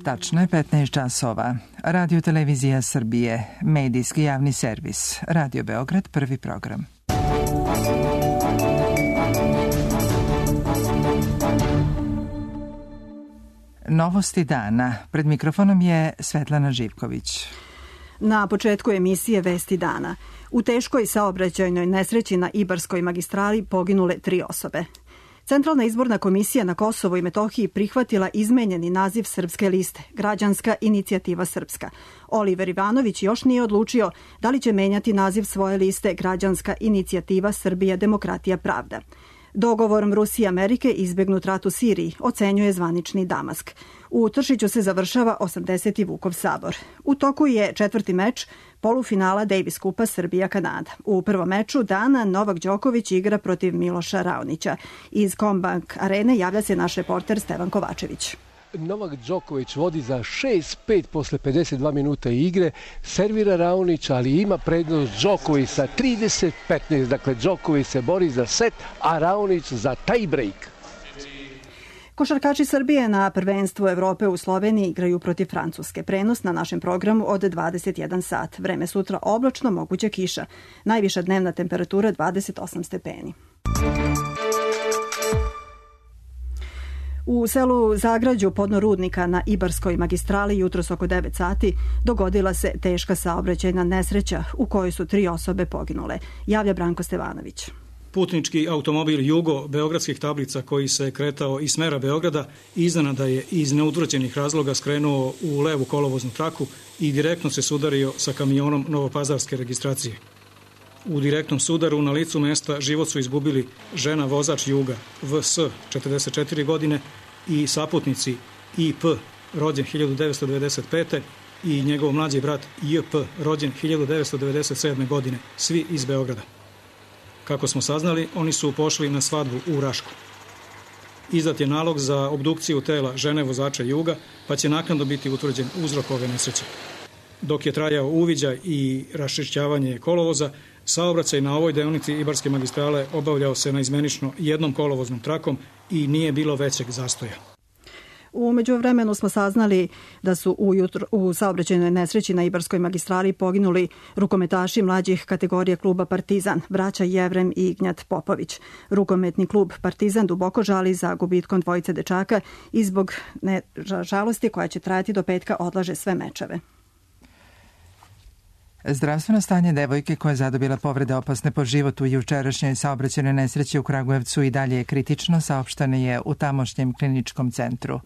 Tačno je 15 časova. Radio Televizija Srbije, medijski javni servis. Radio Beograd, prvi program. Novosti dana. Pred mikrofonom je Svetlana Živković. Na početku emisije Vesti dana. U teškoj saobraćajnoj nesreći na Ibarskoj magistrali poginule 3 osobe. Centralna izborna komisija na Kosovu i Metohiji prihvatila izmenjeni naziv Srpske liste, Građanska inicijativa Srpska. Oliver Ivanović još nije odlučio da li će menjati naziv svoje liste Građanska inicijativa Srbija, demokratija, pravda. Dogovorom Rusije i Amerike izbegnut rat u Siriji, ocenjuje zvanični Damask. U Tršiću se završava 80. Vukov sabor. U toku je 4. meč polufinala Davis kupa Srbija-Kanada. U prvom meču dana Novak Đoković igra protiv Miloša Raonića. Iz Combank arene javlja se naš reporter Stevan Kovačević. Novak Đoković vodi za 6-5 posle 52 minuta igre, servira Raonić, ali ima prednost Đoković sa 30-15. Dakle, Đoković se bori za set, a Raonić za tie break. Košarkači Srbije na prvenstvu Evrope u Sloveniji igraju protiv Francuske. Prenos na našem programu od 21 sat. Vreme sutra oblačno, moguća kiša. Najviša dnevna temperatura 28 stepeni. U selu Zagrađu podno Rudnika na Ibarskoj magistrali jutros oko 9 sati dogodila se teška saobraćajna nesreća u kojoj su 3 osobe poginule. Javlja Branko Stevanović. Putnički automobil Jugo beogradskih tablica koji se kretao iz smera Beograda iznenada je iz neutvrđenih razloga skrenuo u levu kolovoznu traku i direktno se sudario sa kamionom novopazarske registracije. U direktnom sudaru na licu mesta život su izgubili žena vozač Juga VS 44 godine i saputnici IP rođen 1995. i njegov mlađi brat JP rođen 1997. godine, svi iz Beograda. Kako smo saznali, oni su pošli na svadbu u Rašku. Izdat je nalog za obdukciju tela žene vozača Juga, pa će naknadno biti utvrđen uzrok ove nesreće. Dok je trajao uviđaj i raščišćavanje kolovoza, saobraćaj na ovoj deonici Ibarske magistrale obavljao se naizmenično jednom kolovoznom trakom i nije bilo većeg zastoja. U međuvremenu smo saznali da su u saobraćajnoj nesreći na Ibarskoj magistrali poginuli rukometaši mlađih kategorija kluba Partizan, braća Jevrem i Ignjat Popović. Rukometni klub Partizan duboko žali za gubitkom dvojice dečaka i zbog žalosti koja će trajati do petka odlaže sve mečeve. Zdravstveno stanje devojke koja je zadobila povrede opasne po život u jučerašnjoj saobraćajnoj nesreći u Kragujevcu i dalje je kritično, saopšteno je u tamošnjem kliničkom centru.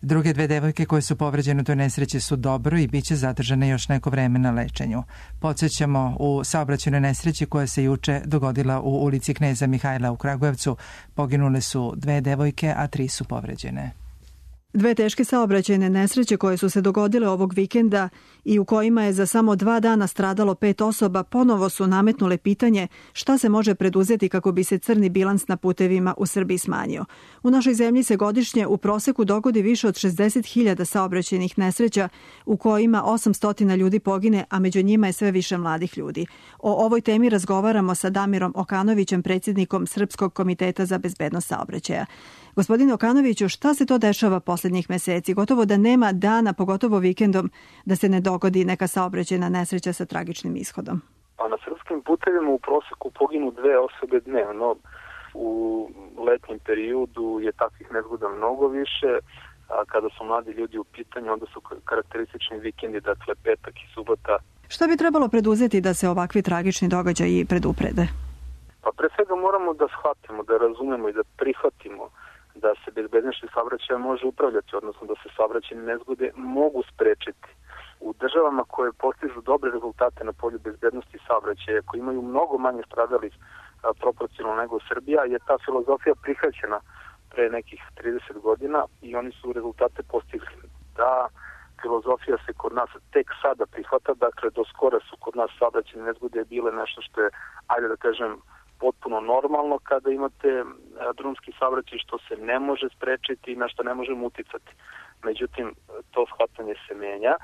Druge 2 devojke koje su povređene u toj nesreći su dobro i bit će zadržane još neko vreme na lečenju. Podsjećamo, u saobraćajnoj nesreći koja se juče dogodila u ulici Kneza Mihajla u Kragujevcu poginule su 2 devojke, a 3 su povređene. 2 teške saobraćajne nesreće koje su se dogodile ovog vikenda i u kojima je za samo 2 dana stradalo 5 osoba ponovo su nametnule pitanje šta se može preduzeti kako bi se crni bilans na putevima u Srbiji smanjio. U našoj zemlji se godišnje u proseku dogodi više od 60.000 saobraćajnih nesreća u kojima 800 ljudi pogine, a među njima je sve više mladih ljudi. O ovoj temi razgovaramo sa Damirom Okanovićem, predsjednikom Srpskog komiteta za bezbednost saobraćaja. Gospodine Okanoviću, šta se to dešava posljednjih meseci? Gotovo da nema dana, pogotovo vikendom, da se ne dogodi neka saobraćajna nesreća sa tragičnim ishodom. Pa na srpskim putevima u proseku poginu 2 osobe dnevno. U letnjem periodu je takvih nezgoda mnogo više. A kada su mladi ljudi u pitanju, onda su karakteristični vikendi, dakle petak i subota. Šta bi trebalo preduzeti da se ovakvi tragični događaji preduprede? Pa pre svega moramo da shvatimo, da razumemo i da prihvatimo da se bezbednošću saobraćaja može upravljati, odnosno da se saobraćajne nezgode mogu sprečiti. U državama koje postižu dobre rezultate na polju bezbednosti saobraćaja, koji imaju mnogo manje stradalih proporcionalno nego Srbija, je ta filozofija prihvaćena pre nekih 30 godina i oni su rezultate postigli. Da filozofija se kod nas tek sada prihvata, dakle do skora su kod nas saobraćajne nezgode bile nešto što je, ajde da kažem, potpuno normalno kada imate drumski saobraćaj, što se ne može sprečiti i na što ne možemo uticati. Međutim, to shvatanje se menja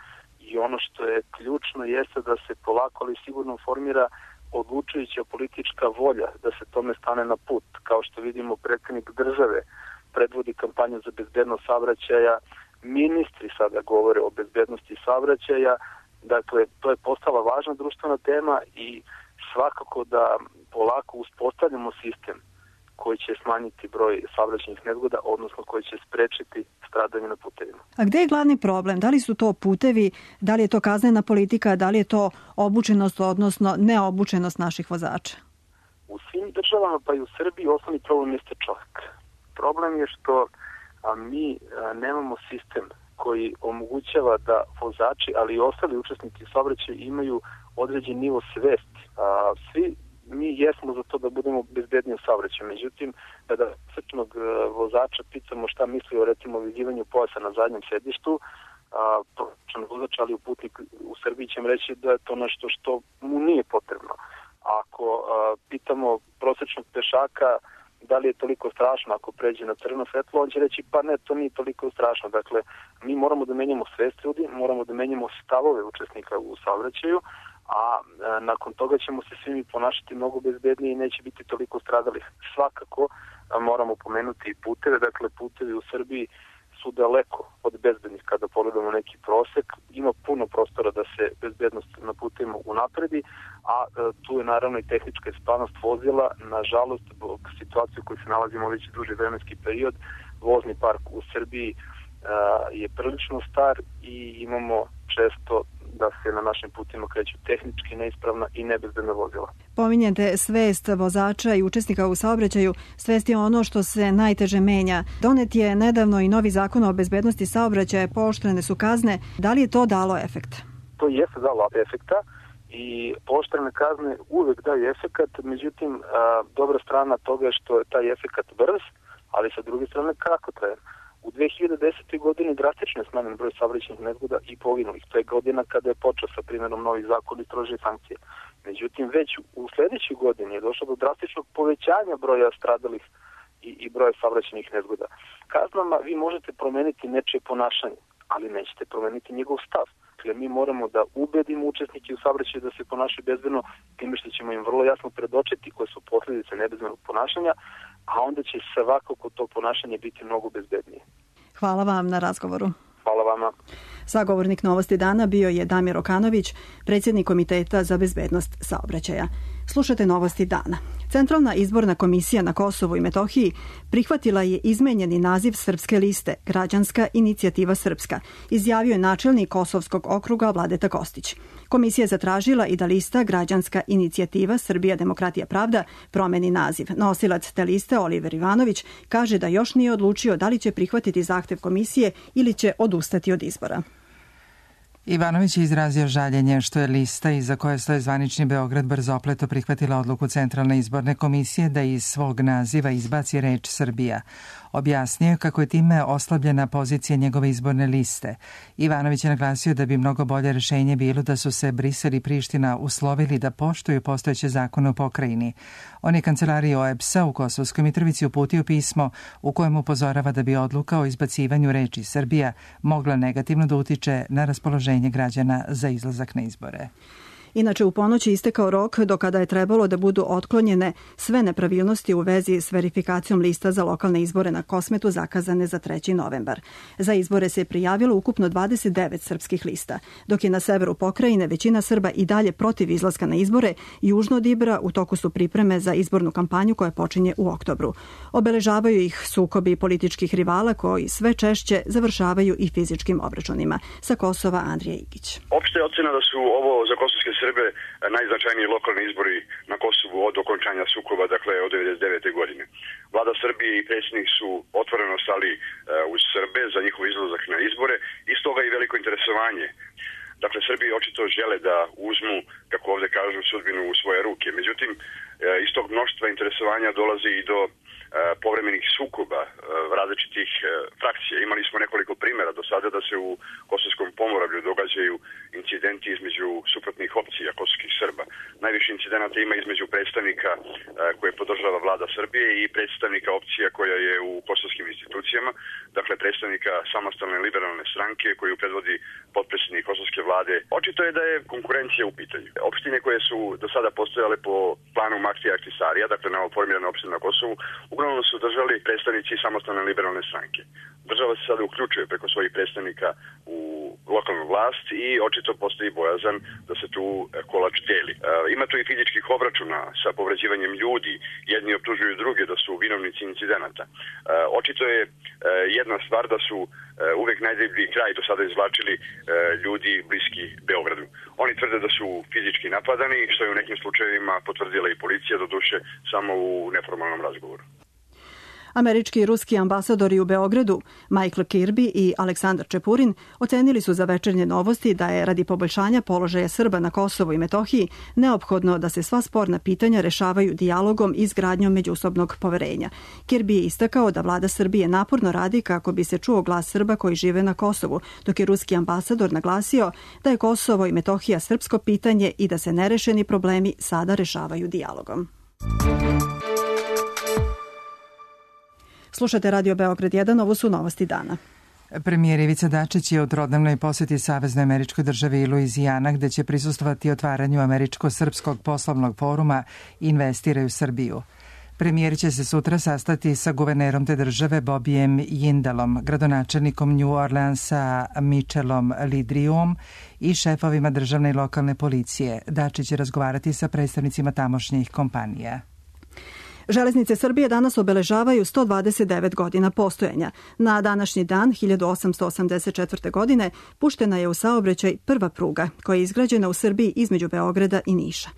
i ono što je ključno jeste da se polako ali sigurno formira odlučujuća politička volja da se tome stane na put. Kao što vidimo, predsjednik države predvodi kampanju za bezbednost saobraćaja ministri sada govore o bezbednosti saobraćaja. Dakle, to je postala važna društvena tema i svakako da polako uspostavljamo sistem koji će smanjiti broj saobraćajnih nezgoda, odnosno koji će sprečiti stradanje na putevima. A gde je glavni problem? Da li su to putevi, da li je to kaznena politika, da li je to obučenost, odnosno neobučenost naših vozača? U svim državama, pa i u Srbiji, osnovni problem jeste čovjek. Problem je što mi nemamo sistem koji omogućava da vozači, ali i ostali učesnici saobraćaja imaju određen nivo svesti. Svi mi jesmo za to da budemo bezbedniji u saobraćaju. Međutim, kada srčnog vozača pitamo šta misli o recimo vidivanju pojasa na zadnjem sedištu, prosječan vozač, ali u putnik u Srbiji će reći da je to nešto što mu nije potrebno. Ako pitamo prosječnog pešaka da li je toliko strašno ako pređe na crveno svetlo, on će reći pa ne, to nije toliko strašno. Dakle, mi moramo da menjamo svest ljudi, moramo da menjamo stavove učesnika u saobraćaju, a nakon toga ćemo se svi mi ponašati mnogo bezbednije i neće biti toliko stradalih. Svakako moramo pomenuti i puteve, dakle putevi u Srbiji su daleko od bezbednih kada pogledamo neki prosek. Ima puno prostora da se bezbednost na putevima unapredi, a tu je naravno i tehnička ispravnost vozila. Nažalost, zbog situacije u kojoj se nalazimo već duži vremenski period, vozni park u Srbiji je prilično star i imamo često da se na našim putima kreću tehnički neispravna i nebezbedna vozila. Pominjete svest vozača i učesnika u saobraćaju. Svest je ono što se najteže menja. Donet je nedavno i novi zakon o bezbednosti saobraćaja, pooštrene su kazne. Da li je to dalo efekt? To jeste dalo efekta i pooštrene kazne uvek daju efekat, međutim dobra strana toga je što je taj efekat brz, ali sa druge strane kratkotrajan. U 2010. godini drastično je smanjen broj saobraćajnih nezgoda i poginulih. To je godina kada je počeo sa primjenom novih zakona i strože sankcije. Međutim, već u sledećoj godini je došlo do drastičnog povećanja broja stradalih i broja saobraćajnih nezgoda. Kaznama vi možete promeniti nečije ponašanje, ali nećete promeniti njegov stav. Dakle, mi moramo da ubedimo učesnike u saobraćaju da se ponašaju bezbedno, time što ćemo im vrlo jasno predočiti koje su posljedice nebezbednog ponašanja, a onda će svakako to ponašanje biti mnogo bezbednije. Hvala vam na razgovoru. Hvala vama. Sagovornik Novosti dana bio je Damir Okanović, predsjednik Komiteta za bezbednost saobraćaja. Slušate Novosti dana. Centralna izborna komisija na Kosovu i Metohiji prihvatila je izmenjeni naziv srpske liste Građanska inicijativa Srpska, izjavio je načelnik Kosovskog okruga Vladeta Kostić. Komisija je zatražila i da lista Građanska inicijativa Srbija, demokratija, pravda promeni naziv. Nosilac te liste, Oliver Ivanović, kaže da još nije odlučio da li će prihvatiti zahtev komisije ili će odustati od izbora. Ivanović je izrazio žaljenje što je lista iza koje stoje zvanični Beograd brzopleto prihvatila odluku Centralne izborne komisije da iz svog naziva izbaci reč Srbija. Objasnio kako je time oslabljena pozicija njegove izborne liste. Ivanović je naglasio da bi mnogo bolje rešenje bilo da su se Brisel i Priština uslovili da poštuju postojeće zakone u pokrajini. On je kancelariji OEBS-a u Kosovskoj Mitrovici uputio pismo u kojem upozorava da bi odluka o izbacivanju reči Srbija mogla negativno da utiče na raspoloženje građana za izlazak na izbore. Inače, u ponoć je istekao rok do kada je trebalo da budu otklonjene sve nepravilnosti u vezi s verifikacijom lista za lokalne izbore na Kosmetu zakazane za 3. novembar. Za izbore se je prijavilo ukupno 29 srpskih lista, dok je na severu pokrajine većina Srba i dalje protiv izlaska na izbore. Južno od Ibra u toku su pripreme za izbornu kampanju koja počinje u oktobru. Obeležavaju ih sukobi političkih rivala koji sve češće završavaju i fizičkim obračunima. Sa Kosova Andrija Igić. Opšte je ocena da su ovo za kosovske Srbe najznačajniji lokalni izbori na Kosovu od okončanja sukoba, dakle od 1999. godine. Vlada Srbije i predsjednik su otvoreno stali uz Srbe za njihov izlazak na izbore i stoga i veliko interesovanje. Dakle, Srbi očito žele da uzmu, kako ovdje kažu, sudbinu u svoje ruke. Međutim, iz tog mnoštva interesovanja dolazi i do povremenih sukoba različitih frakcija. Imali smo nekoliko primjera do sada da se u Kosovskom pomoravlju događaju incidenti između suprotnih opcija kosovskih Srba. Najviše incidenata ima između predstavnika koje podržava vlada Srbije i predstavnika opcija koja je u kosovskim institucijama, dakle predstavnika samostalne liberalne stranke koju predvodi potpredsjednik kosovske vlade. Očito je da je konkurencija u pitanju. Opštine koje su do sada postojale po planu Maktija Ahtisarija, dakle novoformirane opštine na Kosovu, uglavnom su držali predstavnici samostalne liberalne stranke. Država se sada uključuje preko svojih predstavnika u lokalnu vlast i očito postoji bojazan da se tu kolač deli. Ima tu i fizičkih obračuna sa povređivanjem ljudi, jedni optužuju druge da su vinovnici incidenata. Očito je jedna stvar da su uvek najdeblji kraj do sada izvlačili ljudi bliski Beogradu. Oni tvrde da su fizički napadani, što je u nekim slučajevima potvrdila i policija, doduše samo u neformalnom razgovoru. Američki i ruski ambasadori u Beogradu, Michael Kirby i Aleksandar Čepurin, ocenili su za Večernje novosti da je radi poboljšanja položaja Srba na Kosovu i Metohiji neophodno da se sva sporna pitanja rešavaju dijalogom i izgradnjom međusobnog poverenja. Kirby je istakao da vlada Srbije naporno radi kako bi se čuo glas Srba koji žive na Kosovu, dok je ruski ambasador naglasio da je Kosovo i Metohija srpsko pitanje i da se nerešeni problemi sada rešavaju dijalogom. Slušate Radio Beograd 1, ovo su novosti dana. Premijer Ivica Dačić je u trodnevnoj poseti Saveznoj američkoj državi Luizijana, gde će prisustvovati otvaranju Američko-srpskog poslovnog foruma Investiraj u Srbiju. Premijer će se sutra sastati sa guvernerom te države Bobijem Jindalom, gradonačelnikom New Orleansa Mitchellom Lidriom i šefovima državne i lokalne policije. Dačić će razgovarati sa predstavnicima tamošnjih kompanija. Železnice Srbije danas obeležavaju 129 godina postojanja. Na današnji dan, 1884. godine, puštena je u saobraćaj prva pruga, koja je izgrađena u Srbiji između Beograda i Niša.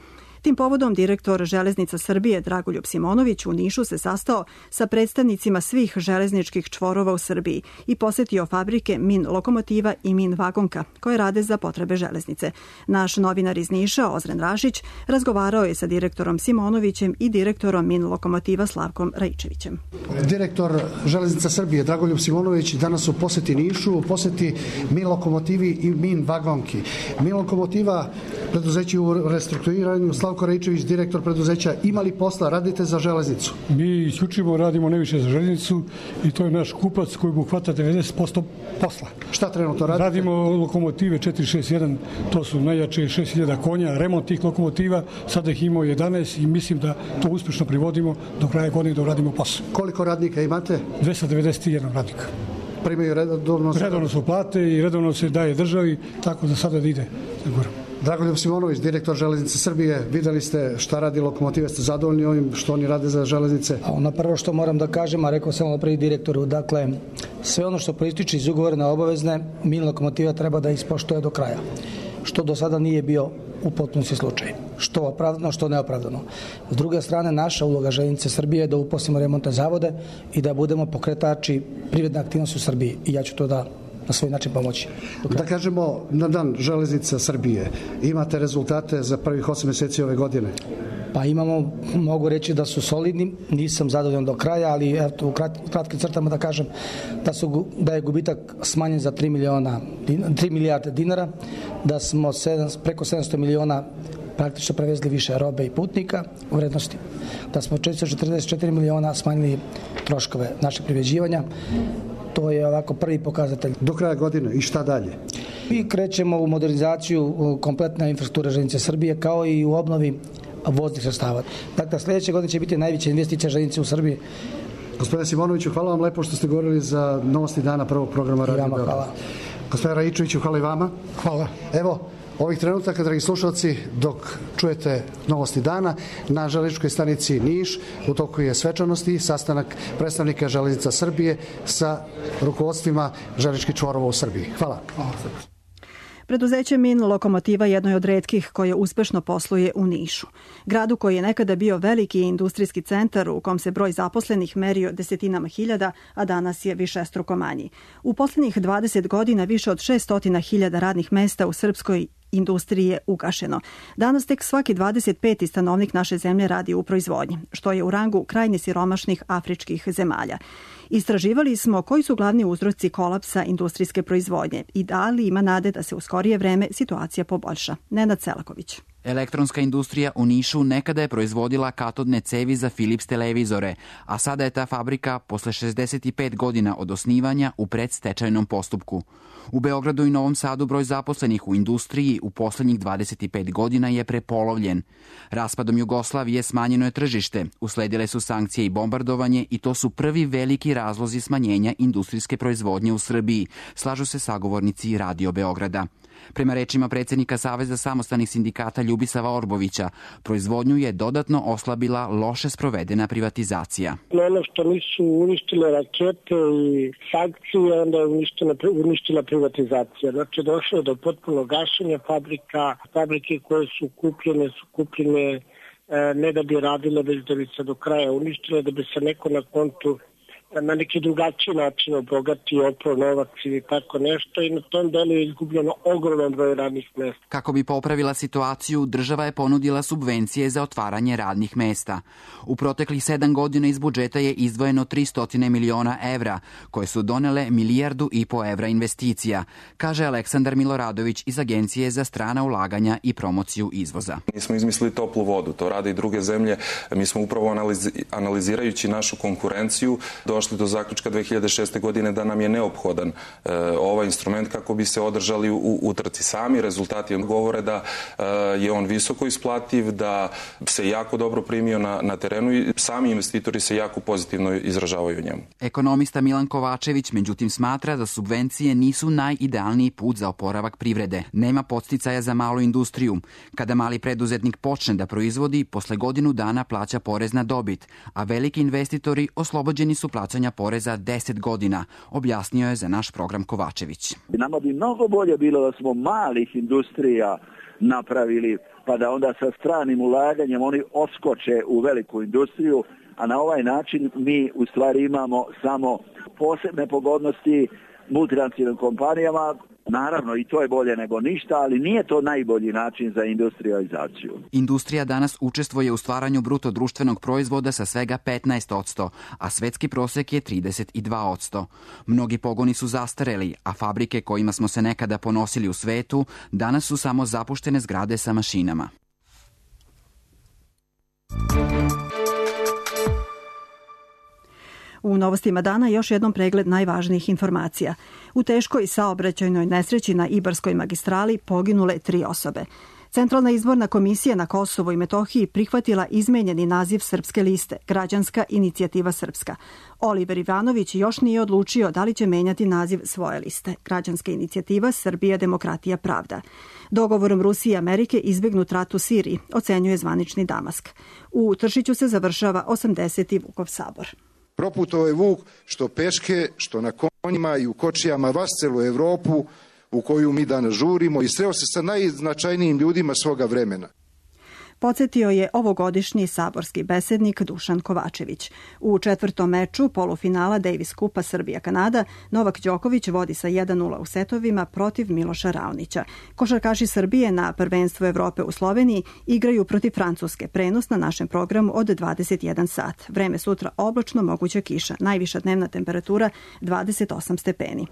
Tim povodom direktor Železnica Srbije Dragoljub Simonović u Nišu se sastao sa predstavnicima svih železničkih čvorova u Srbiji i posetio fabrike Min lokomotiva i Min vagonka koje rade za potrebe železnice. Naš novinar iz Niša, Ozren Rašić, razgovarao je sa direktorom Simonovićem i direktorom Min lokomotiva Slavkom Raičevićem. Direktor Železnica Srbije Dragoljub Simonović danas u poseti Nišu, u poseti Min lokomotivi i Min vagonki. Min lokomotiva, preduzeće u restrukturiranju, Slavko Raičević, direktor preduzeća, ima li posla, radite za železnicu? Mi isključivo radimo najviše za železnicu i to je naš kupac koji obuhvata 90% posla. Šta trenutno radite? Radimo lokomotive 461, to su najjače 6000 konja, remont tih lokomotiva, sada ih imamo 11 i mislim da to uspješno privodimo do kraja godine da uradimo posao. Koliko radnika imate? 291 radnika. Primaju redovno? Redovno su plate i redovno se daje državi, tako da sada ide sigurno. Dragoljub Simonović, direktor Železnice Srbije, videli ste šta radi lokomotive, ste zadovoljni ovim što oni rade za železnice? Ono prvo što moram da kažem, a rekao sam ovo prvi direktoru, dakle, sve ono što proističe iz ugovorne obavezne, Min lokomotiva treba da ispoštuje do kraja, što do sada nije bio u potpunosti slučaj. Što opravdano, što neopravdano. S druge strane, naša uloga Železnice Srbije je da uposlimo remontne zavode i da budemo pokretači privredne aktivnosti u Srbiji. I ja ću to da na svoj način pomoći. Da kažemo, na dan Železnica Srbije, imate rezultate za prvih 8 mjeseci ove godine? Pa imamo, mogu reći da su solidni, nisam zadovoljan do kraja, ali eto, u kratkim crtama da kažem da je gubitak smanjen za 3 milijarde dinara, da smo preko 700 miliona praktično prevezli više robe i putnika u vrednosti, da smo 444 miliona smanjili troškove našeg privređivanja. To je ovako prvi pokazatelj. Do kraja godine i šta dalje? Mi krećemo u modernizaciju kompletne infrastrukture Železnice Srbije kao i u obnovi voznih sredstava. Dakle, sljedeće godine će biti najveća investicija železnice u Srbiji. Gospodine Simonoviću, hvala vam lepo što ste govorili za novosti dana prvog programa Radio Beograd. Hvala. Gospodine Raičeviću, hvala i vama. Hvala. Evo, ovih trenutaka, dragi slušalci, dok čujete novosti dana, na železničkoj stanici Niš u toku je svečanosti, sastanak predstavnika Železnica Srbije sa rukovodstvima železničkih čvorova u Srbiji. Hvala. Preduzeće Min lokomotiva jedno je od retkih koje uspešno posluje u Nišu. Gradu koji je nekada bio veliki industrijski centar u kom se broj zaposlenih merio desetinama hiljada, a danas je višestruko manji. U poslednjih 20 godina više od 600.000 radnih mesta u srpskoj industriji je ugašeno. Danas tek svaki 25. stanovnik naše zemlje radi u proizvodnji, što je u rangu krajnje siromašnih afričkih zemalja. Istraživali smo koji su glavni uzroci kolapsa industrijske proizvodnje i da li ima nade da se u skorije vreme situacija poboljša. Nenad Selaković. Elektronska industrija u Nišu nekada je proizvodila katodne cevi za Philips televizore, a sada je ta fabrika posle 65 godina od osnivanja u predstečajnom postupku. U Beogradu i Novom Sadu broj zaposlenih u industriji u poslednjih 25 godina je prepolovljen. Raspadom Jugoslavije smanjeno je tržište, usledile su sankcije i bombardovanje i to su prvi veliki razlozi smanjenja industrijske proizvodnje u Srbiji, slažu se sagovornici Radio Beograda. Prema rečima predsjednika Saveza samostalnih sindikata Ljubisava Orbovića, proizvodnju je dodatno oslabila loše sprovedena privatizacija. Ono što nisu uništile rakete i sankcije, onda je uništila privatizacija. Znači, došlo je do potpunog gašenja fabrika. Fabrike koje su kupljene ne da bi radile, već da bi se do kraja uništile, da bi se neko na kontu na neki drugačiji način obogatio, oprao novac ili tako nešto i na tom delu je izgubljeno ogroman broj radnih mesta. Kako bi popravila situaciju, država je ponudila subvencije za otvaranje radnih mesta. U proteklih 7 godina iz budžeta je izdvojeno 300 miliona evra, koje su donele 1,5 milijardu evra investicija, kaže Aleksandar Miloradović iz Agencije za strana ulaganja i promociju izvoza. Nismo izmislili toplu vodu, to rade i druge zemlje. Mi smo upravo analizirajući našu konkurenciju došli do zaključka 2006. godine da nam je neophodan ovaj instrument kako bi se održali u trci. Sami rezultati govore da je on visoko isplativ, da se jako dobro primio na terenu i sami investitori se jako pozitivno izražavaju o njemu. Ekonomista Milan Kovačević međutim smatra da subvencije nisu najidealniji put za oporavak privrede. Nema podsticaja za malu industriju. Kada mali preduzetnik počne da proizvodi, posle godinu dana plaća porez na dobit, a veliki investitori oslobođeni su plaćanja poreza 10 godina, objasnio je za naš program Kovačević. Nama bi mnogo bolje bilo da smo malih industrija napravili, pa da onda sa stranim ulaganjem oni oskoče u veliku industriju, a na ovaj način mi u stvari imamo samo posebne pogodnosti multinacionalnim kompanijama. Naravno, i to je bolje nego ništa, ali nije to najbolji način za industrializaciju. Industrija danas učestvuje u stvaranju bruto društvenog proizvoda sa svega 15%, a svetski prosek je 32%. Mnogi pogoni su zastareli, a fabrike kojima smo se nekada ponosili u svetu danas su samo zapuštene zgrade sa mašinama. U novostima dana još jednom pregled najvažnijih informacija. U teškoj saobraćajnoj nesreći na Ibarskoj magistrali poginule 3 osobe. Centralna izborna komisija na Kosovu i Metohiji prihvatila izmenjeni naziv Srpske liste, Građanska inicijativa Srpska. Oliver Ivanović još nije odlučio da li će menjati naziv svoje liste, Građanska inicijativa Srbija, demokratija, pravda. Dogovorom Rusije i Amerike izbegnut rat u Siriji, ocenjuje zvanični Damask. U Tršiću se završava 80. Vukov sabor. Proputovao je Vuk što peške, što na konjima i u kočijama vas celu Evropu u koju mi danas žurimo i sreo se sa najznačajnijim ljudima svoga vremena. Podsjetio je ovogodišnji saborski besednik Dušan Kovačević. U 4. meču polufinala Davis Kupa Srbija-Kanada Novak Đoković vodi sa 1:0 u setovima protiv Miloša Raonića. Košarkaši Srbije na prvenstvu Evrope u Sloveniji igraju protiv Francuske. Prenos na našem programu od 21 sat. Vreme sutra oblačno, moguća kiša. Najviša dnevna temperatura 28 stepeni.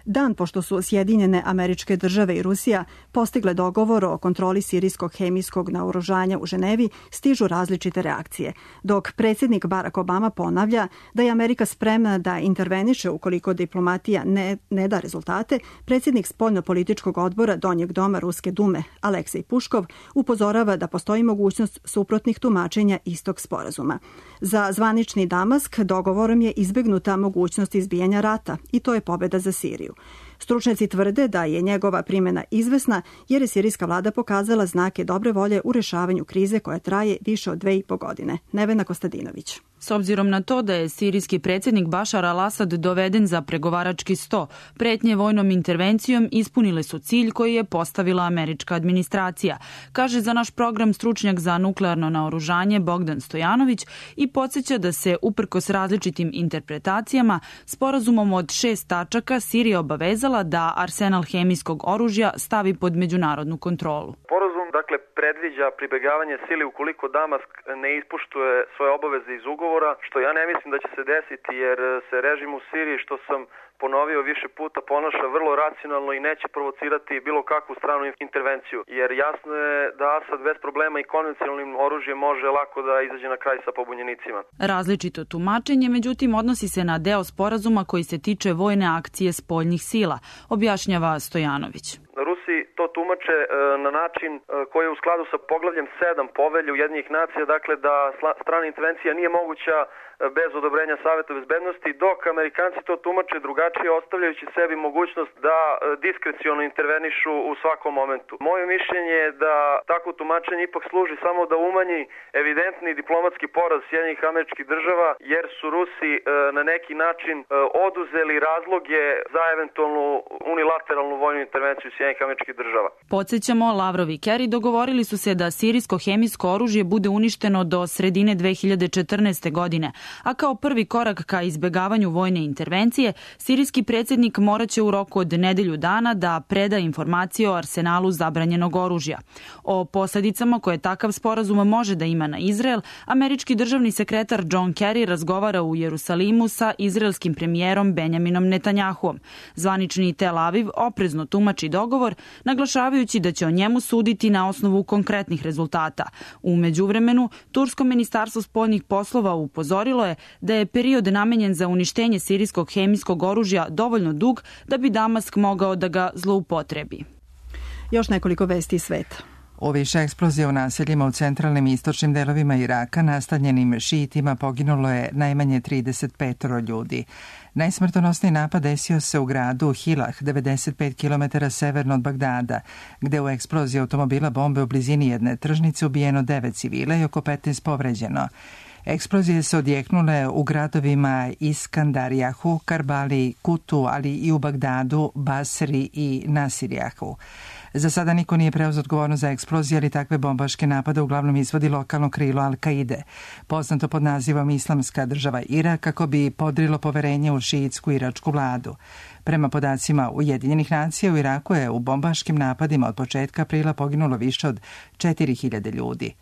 Dan pošto su Sjedinjene Američke Države i Rusija postigle dogovor o kontroli sirijskog hemijskog naoružanja u Ženevi, stižu različite reakcije. Dok predsjednik Barack Obama ponavlja da je Amerika spremna da interveniše ukoliko diplomatija ne da rezultate, predsjednik spoljnopolitičkog odbora Donjeg doma Ruske dume Aleksej Puškov upozorava da postoji mogućnost suprotnih tumačenja istog sporazuma. Za zvanični Damask dogovorom je izbegnuta mogućnost izbijanja rata i to je pobjeda za Siriju. Stručnjaci tvrde da je njegova primjena izvesna jer je sirijska vlada pokazala znake dobre volje u rešavanju krize koja traje više od 2,5 godine. Nevena Kostadinović. S obzirom na to da je sirijski predsjednik Bašar al-Asad doveden za pregovarački sto, pretnje vojnom intervencijom ispunile su cilj koji je postavila američka administracija, kaže za naš program stručnjak za nuklearno naoružanje Bogdan Stojanović i podsjeća da se uprkos različitim interpretacijama sporazumom od 6 tačaka Sirija obavezala da arsenal hemijskog oružja stavi pod međunarodnu kontrolu. Sporazum dakle, predviđa pribegavanje sili ukoliko Damask ne ispoštuje svoje obaveze iz ugovora, što ja ne mislim da će se desiti jer se režim u Siriji, što sam ponovio više puta, ponaša vrlo racionalno i neće provocirati bilo kakvu stranu intervenciju. Jer jasno je da Asad bez problema i konvencionalnim oružjem može lako da izađe na kraj sa pobunjenicima. Različito tumačenje, međutim, odnosi se na deo sporazuma koji se tiče vojne akcije spoljnih sila, objašnjava Stojanović. Rusi to tumače na način koji je u skladu sa poglavljem 7 Povelje Ujedinjenih nacija, dakle da strana intervencija nije moguća bez odobrenja Saveta bezbednosti, dok Amerikanci to tumače drugačije, ostavljajući sebi mogućnost da diskreciono intervenišu u svakom momentu. Moje mišljenje je da takvo tumačenje ipak služi samo da umanji evidentni diplomatski poraz Sjedinjenih Američkih Država, jer su Rusi na neki način oduzeli razloge za eventualnu unilateralnu vojnu intervenciju Sjedinjenih Američkih Država. Podsećamo, Lavrov i Kerry dogovorili su se da sirijsko hemijsko oružje bude uništeno do sredine 2014. godine, a kao prvi korak ka izbegavanju vojne intervencije, sirijski predsjednik moraće u roku od nedelju dana da preda informacije o arsenalu zabranjenog oružja. O posledicama koje takav sporazum može da ima na Izrael, američki državni sekretar John Kerry razgovara u Jerusalimu sa izraelskim premijerom Benjaminom Netanjahuom. Zvanični Tel Aviv oprezno tumači dogovor, naglašavajući da će o njemu suditi na osnovu konkretnih rezultata. U međuvremenu, Tursko ministarstvo spoljnih poslova upozorilo je da je period namenjen za uništenje sirijskog hemijskog oružja dovoljno dug da bi Damask mogao da ga zloupotrebi. Još nekoliko vesti iz sveta. U više eksplozija u naseljima u centralnim i istočnim delovima Iraka nastanjenim šiitima poginulo je najmanje 35 ljudi. Najsmrtonosniji napad desio se u gradu Hilah, 95 km severno od Bagdada, gde u eksploziji automobila bombe u blizini jedne tržnice ubijeno 9 civila i oko 15 povređeno. Eksplozije se odjeknule u gradovima Iskandarijahu, Karbali, Kutu, ali i u Bagdadu, Basri i Nasirijahu. Za sada niko nije preuzeo odgovornost za eksplozije, ali takve bombaške napade uglavnom izvodi lokalno krilo Al-Kaide, poznato pod nazivom Islamska država Irak, kako bi podrilo poverenje u šiitsku iračku vladu. Prema podacima Ujedinjenih nacija, u Iraku je u bombaškim napadima od početka aprila poginulo više od 4000 ljudi.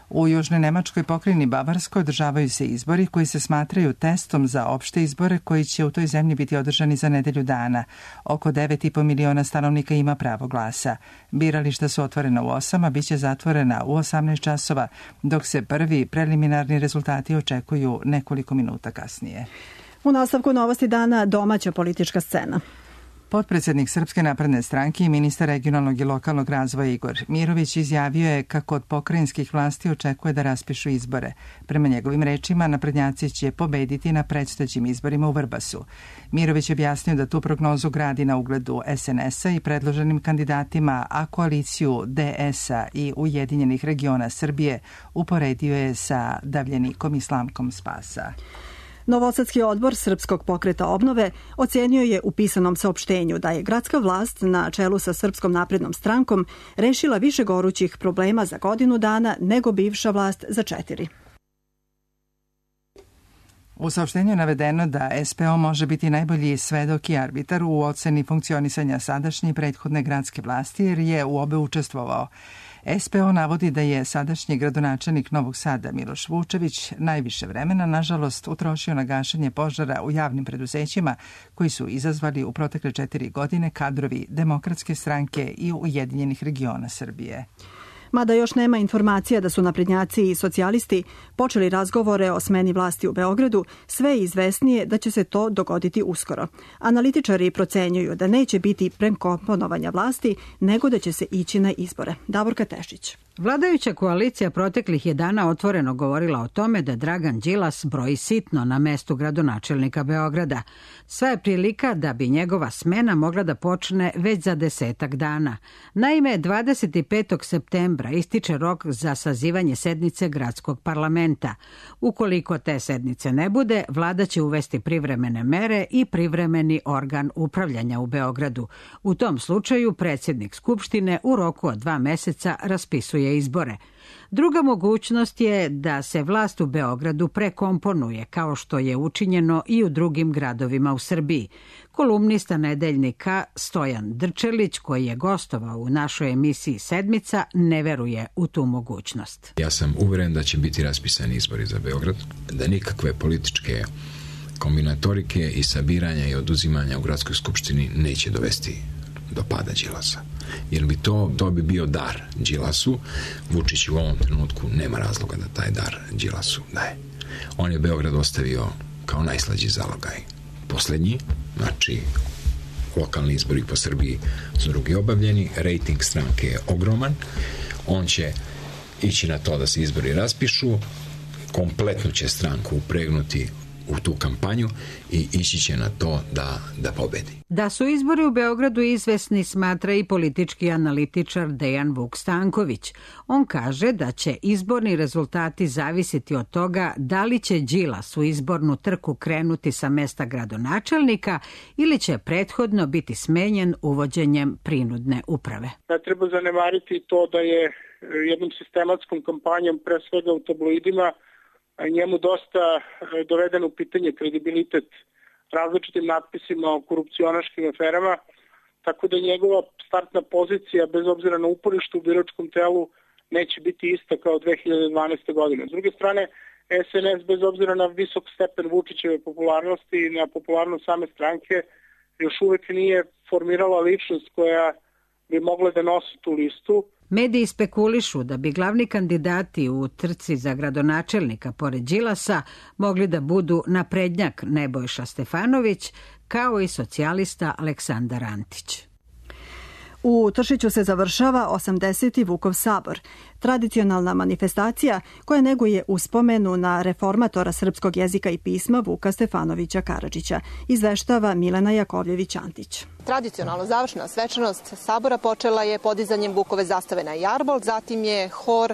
U južnoj Nemačkoj pokrajini Bavarskoj održavaju se izbori koji se smatraju testom za opšte izbore koji će u toj zemlji biti održani za nedelju dana. Oko 9,5 miliona stanovnika ima pravo glasa. Birališta su otvorena u 8, a bit će zatvorena u 18 časova, dok se prvi preliminarni rezultati očekuju nekoliko minuta kasnije. U nastavku novosti dana domaća politička scena. Potpredsjednik Srpske napredne stranke i ministar regionalnog i lokalnog razvoja Igor Mirović izjavio je kako od pokrajinskih vlasti očekuje da raspišu izbore. Prema njegovim rečima, naprednjaci će pobediti na predstojećim izborima u Vrbasu. Mirović je objasnio da tu prognozu gradi na ugledu SNS-a i predloženim kandidatima, a koaliciju DS-a i Ujedinjenih regiona Srbije uporedio je sa davljenikom i Slavkom Spasa. Novosadski odbor Srpskog pokreta obnove ocenio je u pisanom saopštenju da je gradska vlast na čelu sa Srpskom naprednom strankom rešila više gorućih problema za godinu dana nego bivša vlast za 4. U saopštenju je navedeno da SPO može biti najbolji svedok i arbitar u oceni funkcionisanja sadašnje i prethodne gradske vlasti jer je u obe učestvovao. SPO navodi da je sadašnji gradonačelnik Novog Sada Miloš Vučević najviše vremena, nažalost, utrošio na gašenje požara u javnim preduzećima koji su izazvali u protekle 4 godine kadrovi Demokratske stranke i Ujedinjenih regiona Srbije. Mada još nema informacija da su naprednjaci i socijalisti počeli razgovore o smeni vlasti u Beogradu, sve je izvesnije da će se to dogoditi uskoro. Analitičari procenjuju da neće biti prekomponovanja vlasti, nego da će se ići na izbore. Davorka Tešić. Vladajuća koalicija proteklih je dana otvoreno govorila o tome da Dragan Đilas broji sitno na mestu gradonačelnika Beograda. Sva je prilika da bi njegova smena mogla da počne već za 10 dana. Naime, 25. septembra ističe rok za sazivanje sednice gradskog parlamenta. Ukoliko te sednice ne bude, vlada će uvesti privremene mere i privremeni organ upravljanja u Beogradu. U tom slučaju predsjednik Skupštine u roku od 2 meseca raspisuje svoje izbore. Druga mogućnost je da se vlast u Beogradu prekomponuje, kao što je učinjeno i u drugim gradovima u Srbiji. Kolumnista Nedeljnika Stojan Drčelić, koji je gostovao u našoj emisiji Sedmica, ne veruje u tu mogućnost. Ja sam uveren da će biti raspisani izbori za Beograd, da nikakve političke kombinatorike i sabiranja i oduzimanja u gradskoj skupštini neće dovesti do pada Đilasa. Jer bi to bi bio dar Đilasu. Vučić u ovom trenutku nema razloga da taj dar Đilasu daje. On je Beograd ostavio kao najslađi zalogaj. Poslednji, znači lokalni izbori po Srbiji su drugi obavljeni, rejting stranke je ogroman, on će ići na to da se izbori raspišu, kompletno će stranku upregnuti u tu kampanju i ići će na to da pobedi. Da su izbori u Beogradu izvesni, smatra i politički analitičar Dejan Vuk Stanković. On kaže da će izborni rezultati zavisiti od toga da li će Đilas u izbornu trku krenuti sa mesta gradonačelnika ili će prethodno biti smenjen uvođenjem prinudne uprave. Ne treba zanemariti to da je jednom sistematskom kampanjom, pre svega u tabloidima, njemu dosta doveden u pitanje kredibilitet različitim natpisima o korupcionaškim aferama, tako da njegova startna pozicija, bez obzira na uporište u biračkom telu, neće biti ista kao 2012. godine. S druge strane, SNS, bez obzira na visok stepen Vučićeve popularnosti i na popularnost same stranke, još uvek nije formirala ličnost koja bi mogla da nosi tu listu. Mediji spekulišu da bi glavni kandidati u trci za gradonačelnika pored Đilasa mogli da budu naprednjak Nebojša Stefanović, kao i socijalista Aleksandar Antić. U Tršiću se završava 80. Vukov sabor, tradicionalna manifestacija koja neguje uspomenu na reformatora srpskog jezika i pisma Vuka Stefanovića Karadžića, izveštava Milena Jakovljević-Antić. Tradicionalno završna svečanost sabora počela je podizanjem Vukove zastave na jarbol, zatim je hor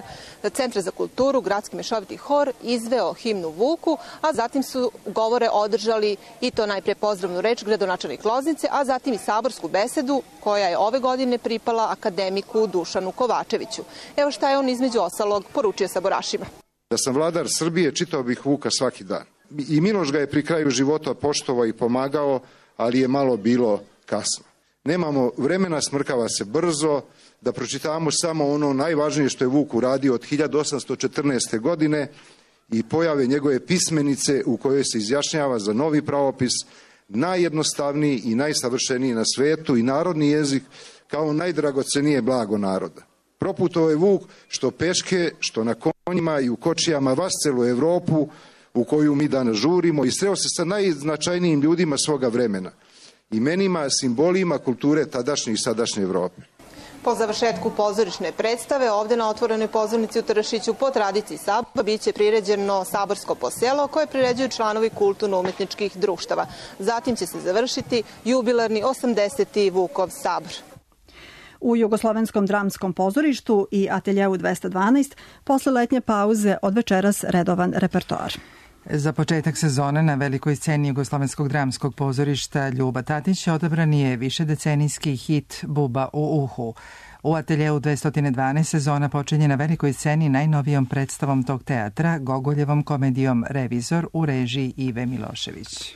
Centra za kulturu, gradski mešoviti hor, izveo himnu Vuku, a zatim su govore održali i to najpre pozdravnu reč gradonačelnik Loznice, a zatim i saborsku besedu koja je ove godine pripala akademiku Dušanu Kovačeviću. Evo šta je on između ostalog poručio saborašima. Da sam vladar Srbije, čitao bih Vuka svaki dan. I Miloš ga je pri kraju života poštovao i pomagao, ali je malo bilo kasno. Nemamo vremena, smrkava se brzo, da pročitamo samo ono najvažnije što je Vuk uradio od 1814. godine i pojave njegove pismenice u kojoj se izjašnjava za novi pravopis, najjednostavniji i najsavršeniji na svetu i narodni jezik kao najdragocenije blago naroda. Proputovao je Vuk što peške, što na konjima i u kočijama vas celu Evropu u koju mi danas žurimo i sreo se sa najznačajnijim ljudima svoga vremena, imenima, simbolima kulture tadašnje i sadašnje Evrope. Po završetku pozorišne predstave ovde na otvorenoj pozornici u Tršiću po tradiciji sabora biće priređeno saborsko poselo koje priređuju članovi kulturno-umetničkih društava. Zatim će se završiti jubilarni 80. Vukov sabor. U Jugoslovenskom dramskom pozorištu i ateljeu 212 posle letnje pauze od večeras redovan repertoar. Za početak sezone na velikoj sceni Jugoslovenskog dramskog pozorišta Ljuba Tatić odabran je višedecenijski hit Buba u uhu. U ateljeu 212 sezona počinje na velikoj sceni najnovijom predstavom tog teatra, Gogoljevom komedijom Revizor u režiji Ive Milošević.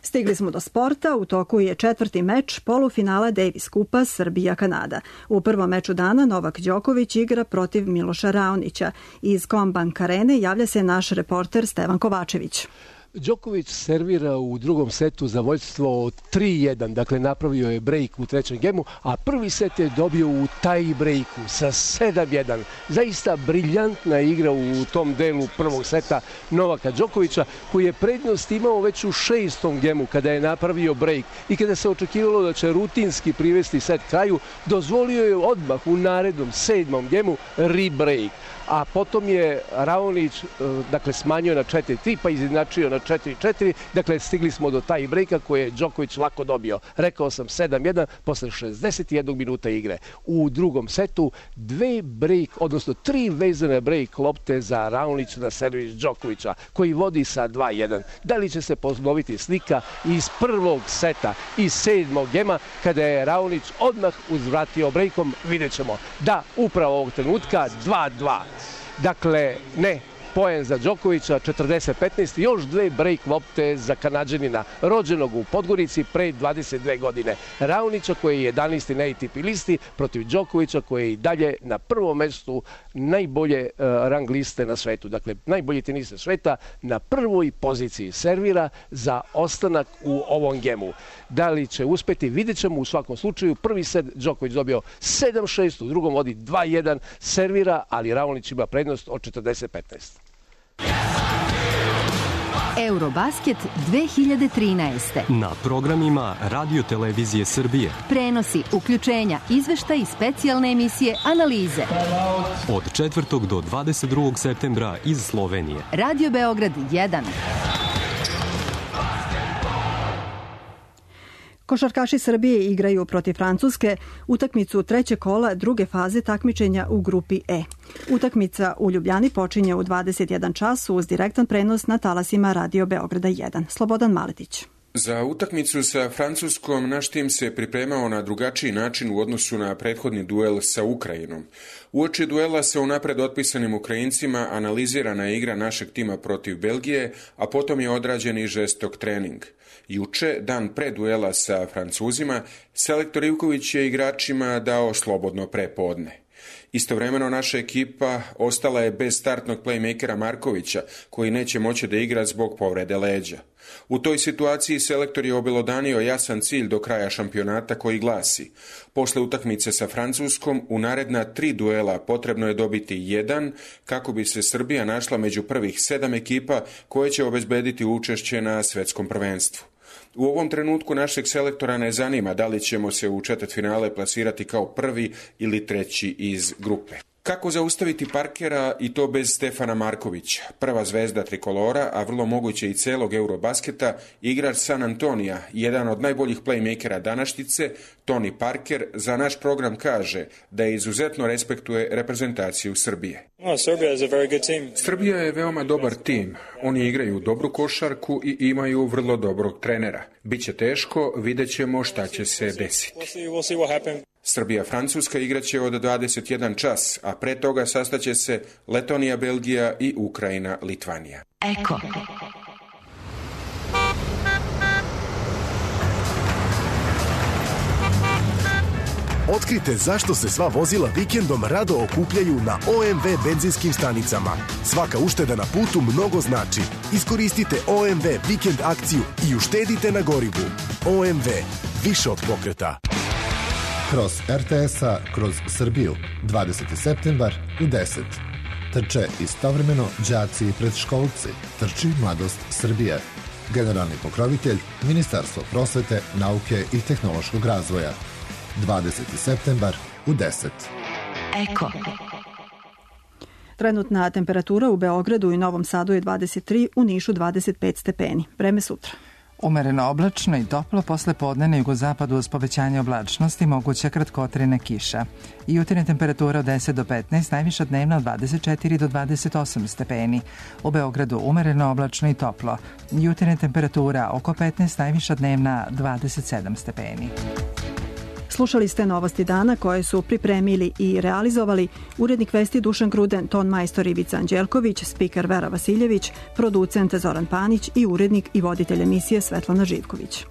Stigli smo do sporta, u toku je četvrti meč polufinala Davis Kupa Srbija-Kanada. U prvom meču dana Novak Đoković igra protiv Miloša Raonića. Iz Combank Arene javlja se naš reporter Stevan Kovačević. Đoković servira u drugom setu za vođstvo od 3-1, dakle napravio je break u trećem gemu, a prvi set je dobio u tie breaku sa 7-1. Zaista briljantna igra u tom delu prvog seta Novaka Đokovića, koji je prednost imao već u šestom gemu kada je napravio break i kada se očekivalo da će rutinski privesti set kraju, dozvolio je odmah u narednom sedmom gemu rebreak. a potom je Raonić dakle smanjio na 4-3 pa izjednačio na 4-4, dakle stigli smo do taj breaka koje je Đoković lako dobio. Rekao sam 7-1 posle 61 minuta igre. U drugom setu 3 vezane break lopte za Raonić na servis Đokovića koji vodi sa 2-1. Da li će se ponoviti slika iz prvog seta, iz 7. gema, kada je Raonić odmah uzvratio brejkom, vidjet ćemo. Da, upravo ovog trenutka 2-2. Dakle, ne poen za Đokovića, 40-15, još 2 break lopte za Kanađanina, rođenog u Podgorici pre 22 godine. Raonića koji je 11. na ATP listi protiv Đokovića koji je i dalje na prvom mestu najbolje rang liste na svetu. Dakle, najbolji tenista sveta na prvoj poziciji servira za ostanak u ovom gemu. Da li će uspeti, vidjet ćemo. U svakom slučaju. Prvi set Đoković dobio 7-6, u drugom vodi 2-1, servira, ali Raonić ima prednost od 40-15. Eurobasket 2013. Na programima Radio Televizije Srbije. Prenosi, uključenja, izveštaj i specijalne emisije, analize. Od 4. do 22. septembra iz Slovenije. Radio Beograd 1. Košarkaši Srbije igraju protiv Francuske utakmicu trećeg kola druge faze takmičenja u grupi E. Utakmica u Ljubljani počinje u 21 čas uz direktan prenos na talasima Radio Beograda 1. Slobodan Maletić. Za utakmicu sa Francuskom naš tim se pripremao na drugačiji način u odnosu na prethodni duel sa Ukrajinom. Uoči duela sa unapred otpisanim Ukrajincima analizirana je igra našeg tima protiv Belgije, a potom je odrađen i žestok trening. Juče, dan pre duela sa Francuzima, selektor Ivković je igračima dao slobodno prepodne. Istovremeno naša ekipa ostala je bez startnog playmakera Markovića, koji neće moći da igra zbog povrede leđa. U toj situaciji selektor je obelodanio jasan cilj do kraja šampionata koji glasi: posle utakmice sa Francuskom u naredna 3 duela potrebno je dobiti 1 kako bi se Srbija našla među prvih 7 ekipa koje će obezbediti učešće na svetskom prvenstvu. U ovom trenutku našeg selektora ne zanima da li ćemo se u četvrtfinale plasirati kao prvi ili treći iz grupe. Kako zaustaviti Parkera i to bez Stefana Markovića, prva zvezda trikolora, a vrlo moguće i celog Eurobasketa, igrač San Antonija, jedan od najboljih playmakera današnjice, Tony Parker, za naš program kaže da izuzetno respektuje reprezentaciju Srbije. Srbija je veoma dobar tim. Oni igraju dobru košarku i imaju vrlo dobrog trenera. Biće teško, vidjet ćemo šta će se desiti. Srbija-Francuska igraće od 21 čas, a pre toga sastaće se Letonija, Belgija i Ukrajina, Litvanija. Eko. Otkrite zašto se sva vozila vikendom rado okupljaju na OMV benzinskim stanicama. Svaka ušteda na putu mnogo znači. Iskoristite OMV vikend akciju i uštedite na gorivu. OMV, više od pokreta. Kroz RTS-a, kroz Srbiju, 20. septembar u 10. Trče istovremeno đaci i predškolci. Trči Mladost Srbije. Generalni pokrovitelj Ministarstvo prosvete, nauke i tehnološkog razvoja. 20. septembar u 10. Eko. Trenutna temperatura u Beogradu i Novom Sadu je 23, u Nišu 25 stepeni. Vreme sutra. Umereno oblačno i toplo, posle podne na jugozapadu uz povećanje oblačnosti moguća kratkotrajna kiša. Jutarnja temperatura od 10 do 15, najviša dnevna od 24 do 28 stepeni. U Beogradu umereno oblačno i toplo. Jutarnja temperatura oko 15, najviša dnevna 27 stepeni. Slušali ste novosti dana koje su pripremili i realizovali urednik vesti Dušan Gruden, ton majstor Ivica Anđelković, spiker Vera Vasiljević, producent Zoran Panić i urednik i voditelj emisije Svetlana Živković.